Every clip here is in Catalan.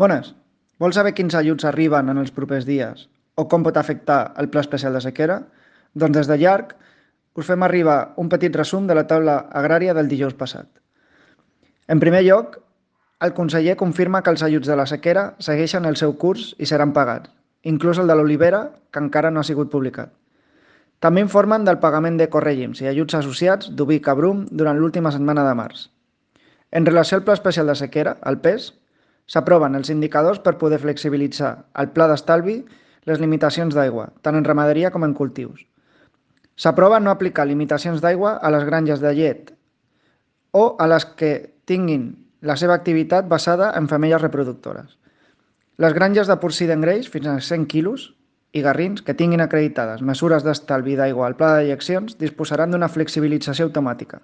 Bones, vols saber quins ajuts arriben en els propers dies o com pot afectar el Pla Especial de Sequera? Doncs des de llarg us fem arribar un petit resum de la taula agrària del dijous passat. En primer lloc, el conseller confirma que els ajuts de la sequera segueixen el seu curs i seran pagats, inclús el de l'olivera, que encara no ha sigut publicat. També informen del pagament de corrègims i ajuts associats d'oví i cabrum durant l'última setmana de març. En relació al Pla Especial de Sequera, el PES, s'aproven els indicadors per poder flexibilitzar el pla d'estalvi les limitacions d'aigua, tant en ramaderia com en cultius. S'aprova no aplicar limitacions d'aigua a les granges de llet o a les que tinguin la seva activitat basada en femelles reproductores. Les granges de porcí d'engreix fins a 100 quilos i garrins que tinguin acreditades mesures d'estalvi d'aigua al pla de dejeccions disposaran d'una flexibilització automàtica.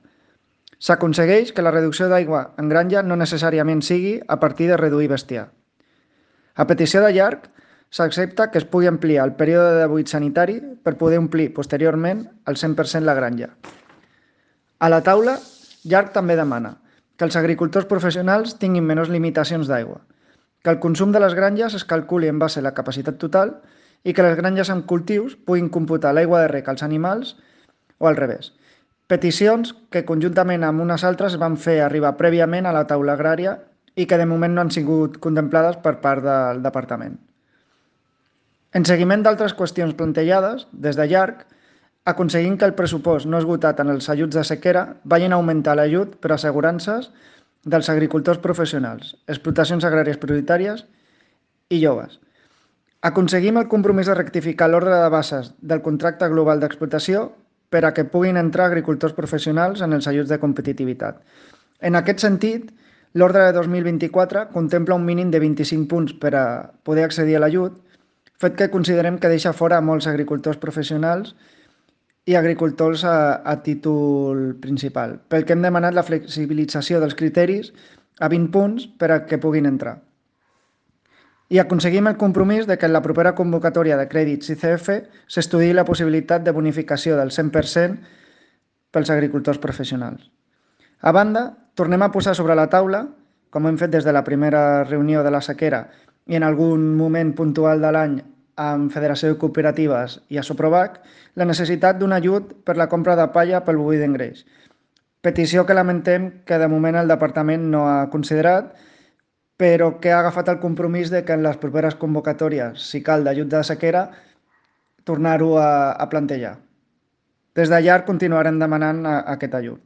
S'aconsegueix que la reducció d'aigua en granja no necessàriament sigui a partir de reduir bestiar. A petició de llarg, s'accepta que es pugui ampliar el període de buit sanitari per poder omplir posteriorment al 100% la granja. A la taula, llarg també demana que els agricultors professionals tinguin menys limitacions d'aigua, que el consum de les granges es calculi en base a la capacitat total i que les granges amb cultius puguin computar l'aigua de rec als animals o al revés. Peticions que conjuntament amb unes altres es van fer arribar prèviament a la taula agrària i que de moment no han sigut contemplades per part del departament. En seguiment d'altres qüestions plantejades, des de llarg, aconseguint que el pressupost no esgotat en els ajuts de sequera vagin a augmentar l'ajut per assegurances dels agricultors professionals, explotacions agràries prioritàries i joves. Aconseguim el compromís de rectificar l'ordre de bases del contracte global d'explotació per a que puguin entrar agricultors professionals en els ajuts de competitivitat. En aquest sentit, l'ordre de 2024 contempla un mínim de 25 punts per a poder accedir a l'ajut, fet que considerem que deixa fora a molts agricultors professionals i agricultors a títol principal, pel que hem demanat la flexibilització dels criteris a 20 punts per a que puguin entrar. I aconseguim el compromís de que en la propera convocatòria de crèdits ICF s'estudiï la possibilitat de bonificació del 100% pels agricultors professionals. A banda, tornem a posar sobre la taula, com hem fet des de la primera reunió de la sequera i en algun moment puntual de l'any amb Federació de Cooperatives i a Soprovac, la necessitat d'un ajut per la compra de palla pel boví d'engreix. Petició que lamentem que de moment el departament no ha considerat, però que ha agafat el compromís de que en les properes convocatòries, si cal, d'ajut de sequera, tornar-ho a plantejar. Des d'allà continuarem demanant aquest ajut.